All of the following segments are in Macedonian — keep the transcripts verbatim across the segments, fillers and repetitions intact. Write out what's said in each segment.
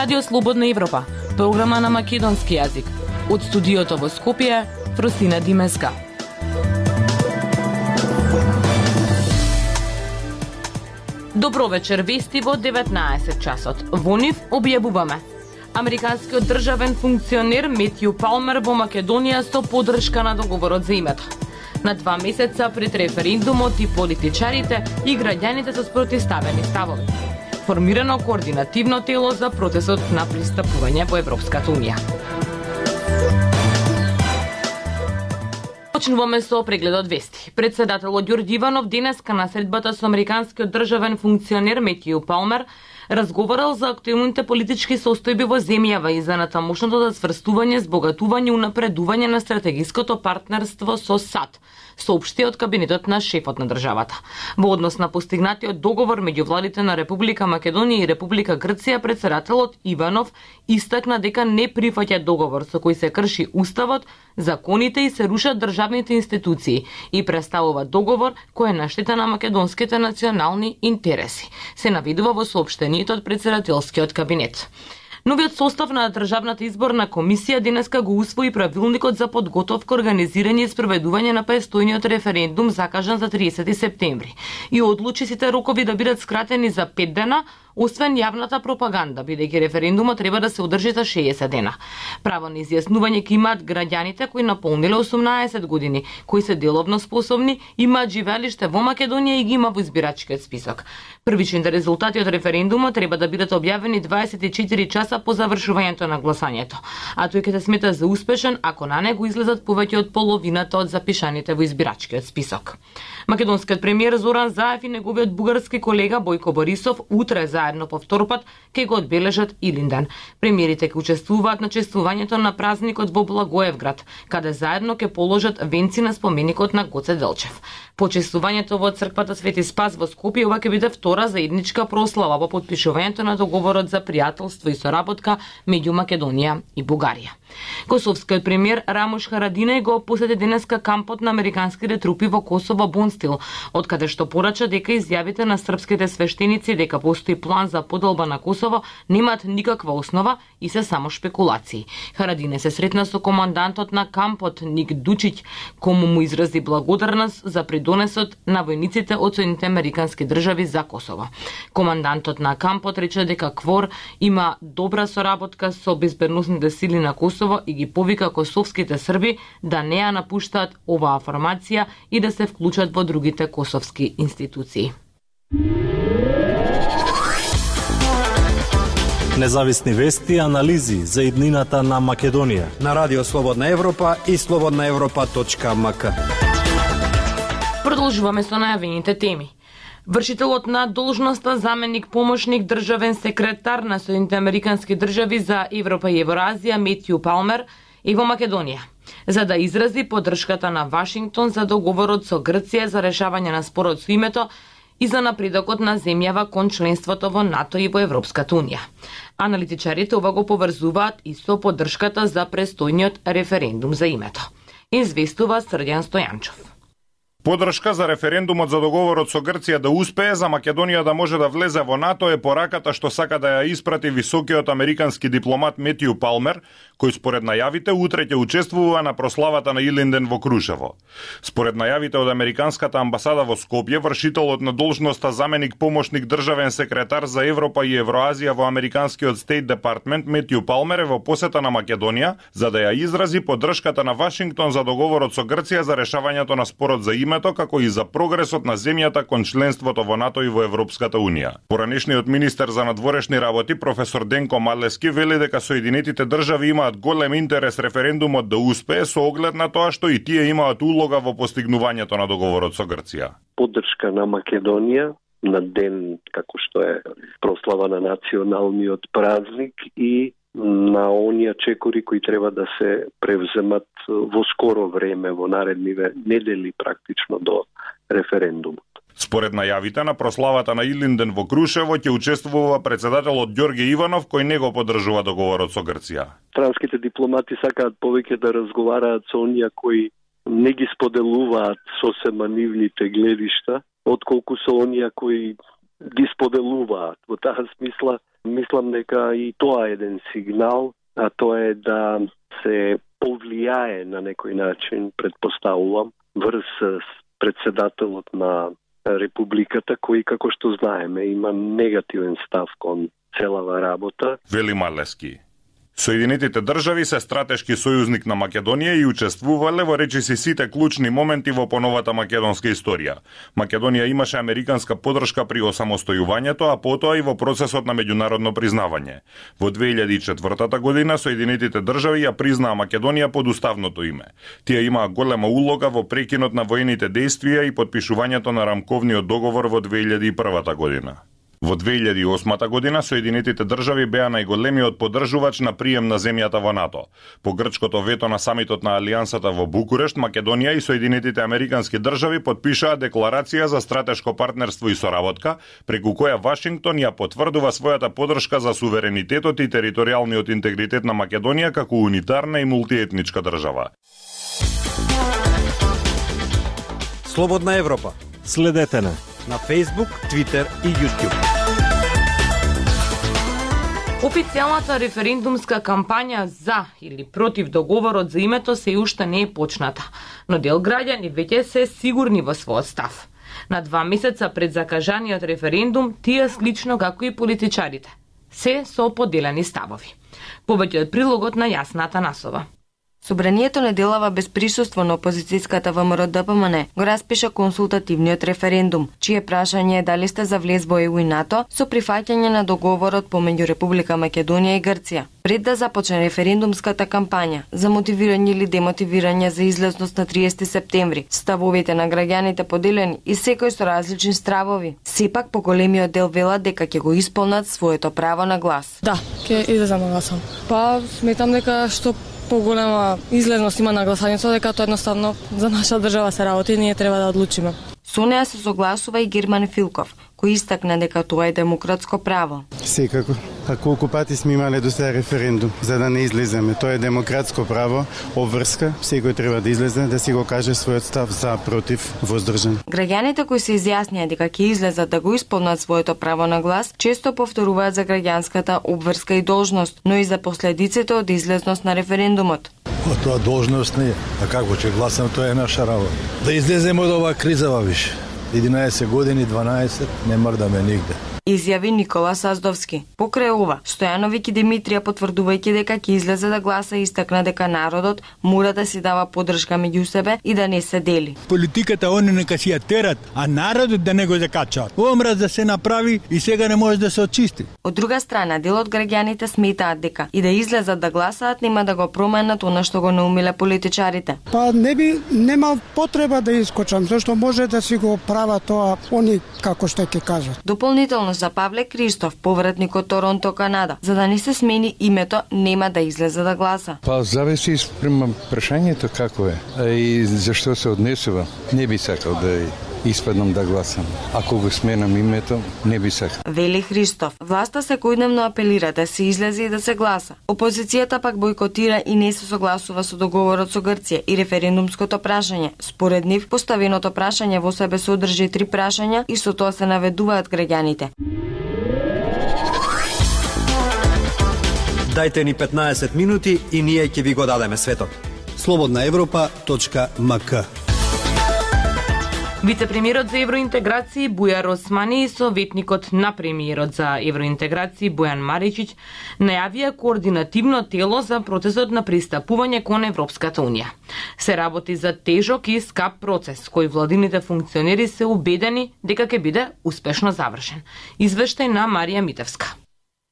Радио Слободна Европа, програма на македонски јазик. Од студиото во Скопје, Фростина Димеска. Добро вечер, вести во деветнаесет часот. Во нив објавуваме: американскиот државен функционер Метју Палмер во Македонија со поддршка на договорот за името. На два месеца пред референдумот и политичарите и граѓаните со спротивставени ставови. Формирано координативно тело за процесот на пристапување во Европската унија. Почнуваме со прегледот вести. Председателот Ѓорѓе Иванов денеска на средбата со американскиот државен функционер Метју Палмер разговарал за актуелните политички состојби во земјава и за натамошното засврстување, збогатување и унапредување на стратегиското партнерство со САД, соопшти од кабинетот на шефот на државата. Во однос на постигнатиот договор меѓу владите на Република Македонија и Република Грција, председателот Иванов истакна дека не прифаќа договор со кој се крши уставот, законите и се рушат државните институции и представува договор кој е на штета на македонските национални интереси, се наведува во соопштението од председателскиот кабинет. Новиот состав на Државната изборна комисија денеска го усвои правилникот за подготовка, организирање и спроведување на престојниот референдум закажан за триесети септември и одлучи сите рокови да бидат скратени за пет дена, освен јавната пропаганда, бидејќи референдумот треба да се одржи за шеесет дена. Право на изјаснување ќе имаат граѓаните кои наполниле осумнаесет години, кои се деловно способни, имаат живеалиште во Македонија и ги има во избирачкиот список. Првичните резултати од референдумот треба да бидат објавени дваесет и четири часа по завршувањето на гласањето, а тој ќе се смета за успешен ако на него излезат повеќе од половината од запишаните во избирачкиот список. Македонскиот премиер Зоран Заев и неговиот бугарски колега Бојко Борисов утре заедно по втор пат ќе го одбележат Илинден. Премиерите ќе учествуваат на чествувањето на празникот во Благоевград, каде заедно ќе положат венци на споменикот на Гоце Делчев. Почествувањето во црквата Свети Спас во Скопје ова ќе биде втора заедничка прослава во потпишувањето на договорот за пријателство и соработка меѓу Македонија и Бугарија. Косовскиот премиер Рамуш Харадинеј го посети денеска кампот на американските трупи во Косово Бонстил, од каде што порача дека изјавите на српските свештеници дека постои план за поделба на Косово немаат никаква основа и се само шпекулации. Харадине се сретна со командантот на кампот Ник Дучиќ, кому му изрази благодарност за придонесот на војниците од Соединетите американски држави за Косово. Командантот на кампот рече дека КФОР има добра соработка со безбедносните сили на Косово и ги повика косовските срби да не ја напуштаат оваа формација и да се вклучат во другите косовски институции. Независни вести и анализи за иднината на Македонија на Радио Слободна Европа и слободна европа точка ем ка. Продолжуваме со најавените теми. Вршителот на должноста заменик помошник државен секретар на Соединетите американски држави за Европа и Евроазија Метју Палмер е во Македонија, за да изрази поддршката на Вашингтон за договорот со Грција за решавање на спорот со името и за напредокот на земјава кон членството во НАТО и во Европската унија. Аналитичарите ова го поврзуваат и со поддршката за престојниот референдум за името. Известува Срдјан Стојанчов. Поддршка за референдумот за договорот со Грција да успее за Македонија да може да влезе во НАТО е пораката што сака да ја испрати високиот американски дипломат Метју Палмер, кој според најавите утре ќе учествува на прославата на Илинден во Крушево. Според најавите од американската амбасада во Скопје, вршителот на должноста заменик помошник државен секретар за Европа и Евроазија во американскиот Стейт Департмент Метју Палмер е во посета на Македонија за да ја изрази поддршката на Вашингтон за договорот со Грција за решавањето на спорот за името, како и за прогресот на земјата кон членството во НАТО и во Европската унија. Поранешниот министер за надворешни работи професор Денко Малески вели дека Соединетите држави имаат голем интерес референдумот да успее со оглед на тоа што и тие имаат улога во постигнувањето на договорот со Грција. Поддршка на Македонија на ден како што е прослава на националниот празник и на оние чекори кои треба да се превземат во скоро време, во наредниве недели практично до референдумот. Според најавите на прославата на Илинден во Крушево ќе учествува председателот Ѓорѓе Иванов, кој не го поддржува договорот со Грција. Странските дипломати сакаат повеќе да разговараат со оние кои не ги споделуваат сосема нивните гледишта, отколку со оние кои ги споделуваат. Во таа смисла, мислам дека и тоа е еден сигнал, а тоа е да се повлијае на некој начин, предпоставувам, врз председателот на Републиката, кој, како што знаеме, има негативен став кон целава работа. Вели Малески. Соединетите држави се стратешки сојузник на Македонија и учествувале во речиси сите клучни моменти во поновата македонска историја. Македонија имаше американска поддршка при осамостојувањето, а потоа и во процесот на меѓународно признавање. Во две илјади и четвртата година Соединетите држави ја признаа Македонија под уставното име. Тие имаа голема улога во прекинот на воените дејствија и подпишувањето на рамковниот договор во две илјади и првата година. Во две илјади и осмата година Соединетите држави беа најголемиот поддржувач на прием на земјата во НАТО. По грчкото вето на самитот на Алијансата во Букурешт, Македонија и Соединетите американски држави подпишаа декларација за стратешко партнерство и соработка, преку која Вашингтон ја потврдува својата поддршка за суверенитетот и територијалниот интегритет на Македонија како унитарна и мултиетничка држава. Слободна Европа. Следете на на Facebook, Twitter и YouTube. Официјалната референдумска кампања за или против договорот за името се уште не е почната, но дел граѓани веќе се сигурни во својот став. На два месеца пред закажаниот референдум, тие слично како и политичарите, се со поделени ставови. Повеќе од прилогот на Јасна Атанасова. Собранието неделава без присуство на опозицијската ВМРО-ДПМН го распиша консултативниот референдум, чие прашање е дали сте за влез во Е У и НАТО со прифаќање на договорот помеѓу Република Македонија и Грција. Пред да започне референдумската кампања за мотивирање или демотивирање за излезност на триесети септември, ставовите на граѓаните поделени и секој со различни стравови. Сепак поголемиот дел велат дека ќе го исполнат своето право на глас. Да, ќе излезам на гласам. Па сметам дека што поголема излезност има на гласањето, дека тоа едноставно за наша држава се работи и ние треба да одлучиме. Со неа се согласува и Герман Филков, кој истакна дека тоа е демократско право. Секако. А колку пати сме имале до сега референдум за да не излеземе? Тоа е демократско право, обврска, секој треба да излезе да си го каже својот став за, против, воздржан. Граѓаните кои се изјаснија дека ќе излезат да го исполнат своето право на глас, често повторуваат за граѓанската обврска и должност, но и за последиците од излезност на референдумот. Тоа должност не е, а како ќе гласам, тоа е наша работа. Да излеземе од оваа кризава више. единаесет години, дванаесет, не мрдаме нигде. Изјави Никола Саздовски. Покрај ова, Стојановиќ и Димитрија потврдувајќи дека ќе излезе да гласа, истакна дека народот мора да си дава поддршка меѓу себе и да не се дели. Политиката они нека си ја терат, а народот да не го закачаат. Ова мраз да се направи и сега не може да се очисти. Од друга страна, дел од граѓаните сметаат дека и да излезат да гласаат нема да го променат она што го наумиле политичарите. Па не би нема потреба да искочам, зашто може да си го прават тоа они како што ќе кажат. Дополнително за Павле Кристоф, повратник од Торонто, Канада, за да не се смени името, нема да излезе да гласа. Па зависи спрема прашањето како е, а и зашто се однесува. Не би сакал да испаднам да гласам. Ако го сменам името, не би сакал. Вели Христов. Власта секојдневно апелира да се излезе и да се гласа. Опозицијата пак бойкотира и не се согласува со договорот со Грција и референдумското прашање. Според нив, поставеното прашање во себе содржи три прашања и со тоа се наведуваат граѓаните. Дајте ни петнаесет минути и ние ќе ви го дадеме светот. слободна европа точка ем ка. Вице-премиерот за евроинтеграција Бујар Османи и советникот на премиерот за евроинтеграција Бојан Маричич најавија координативно тело за процесот на пристапување кон Европската унија. Се работи за тежок и скап процес, кој владините функционери се убедени дека ќе биде успешно завршен. Извештај на Марија Митевска.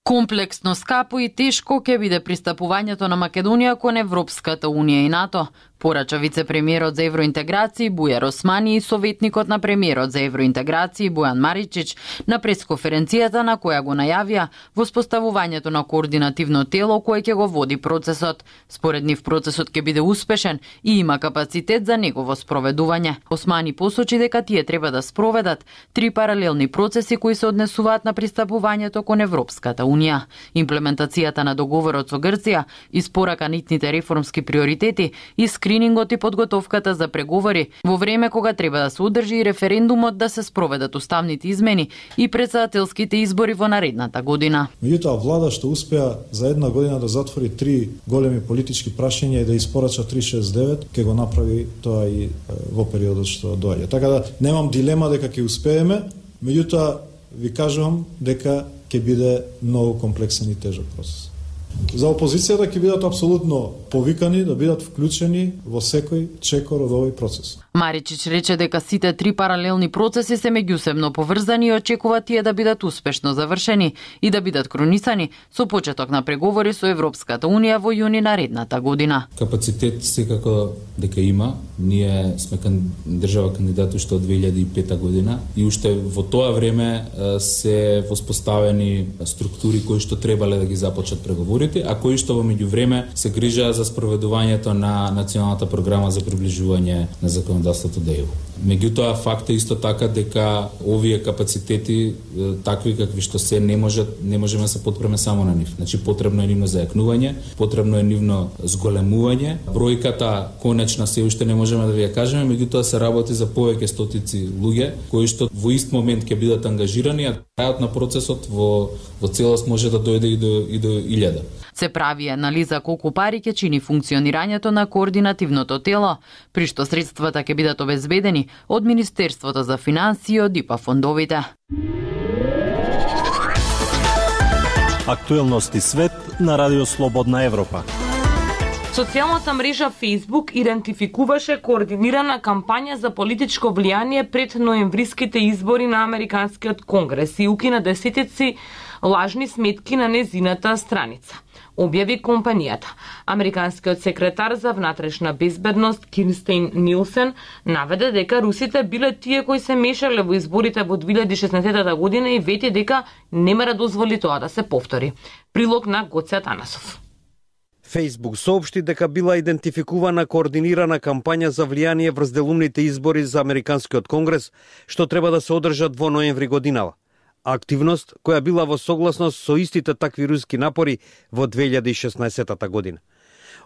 Комплексно, скапо и тешко ќе биде пристапувањето на Македонија кон Европската унија и НАТО, порача вице-премиерот за евроинтеграција Бујар Османи и советникот на премиерот за евроинтеграција Бојан Маричич на пресконференцијата на која го најавија воспоставувањето на координативно тело кое ќе го води процесот. Според нив процесот ќе биде успешен и има капацитет за негово спроведување. Османи посочи дека тие треба да спроведат три паралелни процеси кои се однесуваат на пристапувањето кон Европската унија. унија. Имплементацијата на договорот со Грција, испорака нитните реформски приоритети и скринингот и подготовката за преговори во време кога треба да се одржи и референдумот да се спроведат уставните измени и претседателските избори во наредната година. Меѓутоа, влада што успеа за една година да затвори три големи политички прашања и да испорача триста шесдесет и девет, ќе го направи тоа и во периодот што доаѓа. Така да немам дилема дека ќе успееме, меѓутоа ви кажувам дека ќе биде многу комплексен и тежок процес. За опозицијата ќе бидат апсолутно повикани да бидат вклучени во секој чекор од овој процес. Маричич рече дека сите три паралелни процеси се меѓусебно поврзани и очекува тие да бидат успешно завршени и да бидат кронисани со почеток на преговори со Европската Унија во јуни наредната година. Капацитет секако дека има. Ние сме кан... држава кандидат уште од две илјади и пета година и уште во тоа време се воспоставени структури кои што требале да ги започнат преговорите, а кои што во меѓувреме се грижаа за спроведувањето на националната програма за приближување на законодавството до Е У. Меѓутоа, факт е исто така дека овие капацитети, такви какви што се, не можат, не можеме да се потпреме само на нив. Значи, потребно е нивно зајакнување, потребно е нивно зголемување. Бројката конечна се уште не можеме да ви ја кажеме, меѓутоа се работи за повеќе стотици луѓе кои што во ист момент ќе бидат ангажирани, а трајот на процесот во, во целост може да дојде и до, и до илјада. Се прави анализа колку пари ќе чини функционирањето на координативното тело, при што средствата ќе бидат обезбедени од Министерството за финансии и од ИПА фондовите. Актуелности свет на Радио Слободна Европа. Социјалната мрежа Facebook идентификуваше координирана кампања за политичко влијание пред ноемвриските избори на Американскиот конгрес и укина десетици лажни сметки на незината страница, објави компанијата. Американскиот секретар за внатрешна безбедност Кирстен Нилсен наведе дека русите биле тие кои се мешале во изборите во две илјади и шеснаесета година и вети дека нема да дозволи тоа да се повтори. Прилог на Гоце Атанасов. Facebook соопшти дека била идентификувана координирана кампања за влијание врз делумните избори за Американскиот конгрес, што треба да се одржат во ноември годинава. Активност која била во согласност со истите такви руски напори во две илјади и шеснаесета година.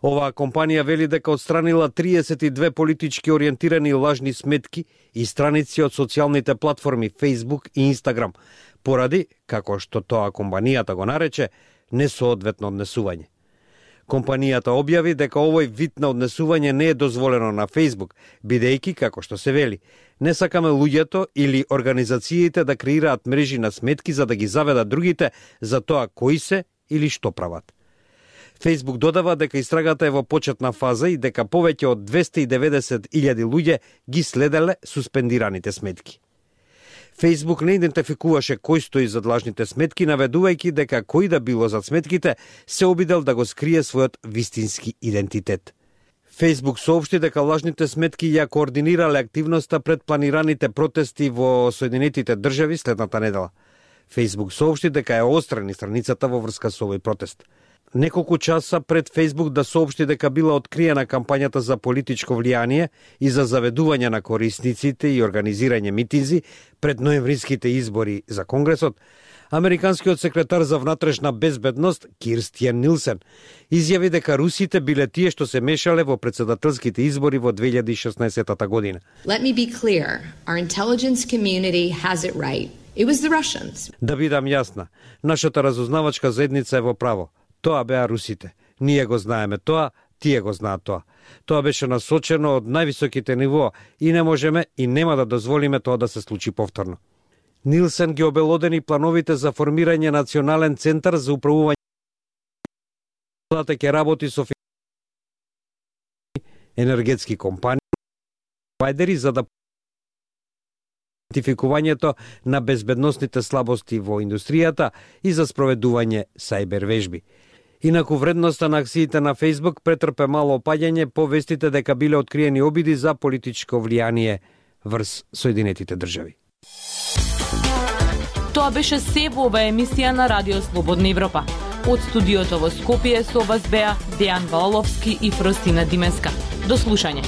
Оваа компанија вели дека отстранила триесет и две политички ориентирани лажни сметки и страници од социјалните платформи Facebook и Instagram, поради, како што тоа компанијата го нарече, несоодветно однесување. Компанијата објави дека овој вид на однесување не е дозволено на Facebook, бидејќи, како што се вели, не сакаме луѓето или организациите да креираат мрежи на сметки за да ги заведат другите за тоа кои се или што прават. Facebook додава дека истрагата е во почетна фаза и дека повеќе од двесте и деветдесет илјади луѓе ги следеле суспендираните сметки. Facebook не идентификуваше кој стои зад лажните сметки, наведувајќи дека кој да било зад сметките се обидел да го скрие својот вистински идентитет. Facebook соопшти дека лажните сметки ја координирале активноста пред планираните протести во Соединетите држави следната недела. Facebook соопшти дека е острани страницата во врска со овој протест. Неколку часа пред Facebook да соопшти дека била откриена кампањата за политичко влијание и за заведување на корисниците и организирање митинзи пред ноемвриските избори за Конгресот, Американскиот секретар за внатрешна безбедност Кирстен Нилсен изјави дека русите биле тие што се мешале во претседателските избори во две илјади и шеснаесета година. Let me be clear. Our intelligence community has it right. It was the Russians. Да бидам јасна, нашата разузнавачка заедница е во право. Тоа беа русите. Ние го знаеме тоа, тие го знаат тоа. Тоа беше насочено од највисоките нивоа и не можеме и нема да дозволиме тоа да се случи повторно. Нилсен ги обелодени плановите за формирање национален центар за управување ќе работи со енергетски компании провайдери за да идентификувањето на безбедносните слабости во индустријата и за спроведување сајбер вежби. Инаку вредноста на акциите на Facebook претрпе мало опаѓање по вестите дека биле откриени обиди за политичко влијание врз Соединетите држави. Тоа беше се во оваа емисија на Радио Слободна Европа. Од студиото во Скопје со вас беа Дејан Валаловски и Фростина Димеска. До слушање.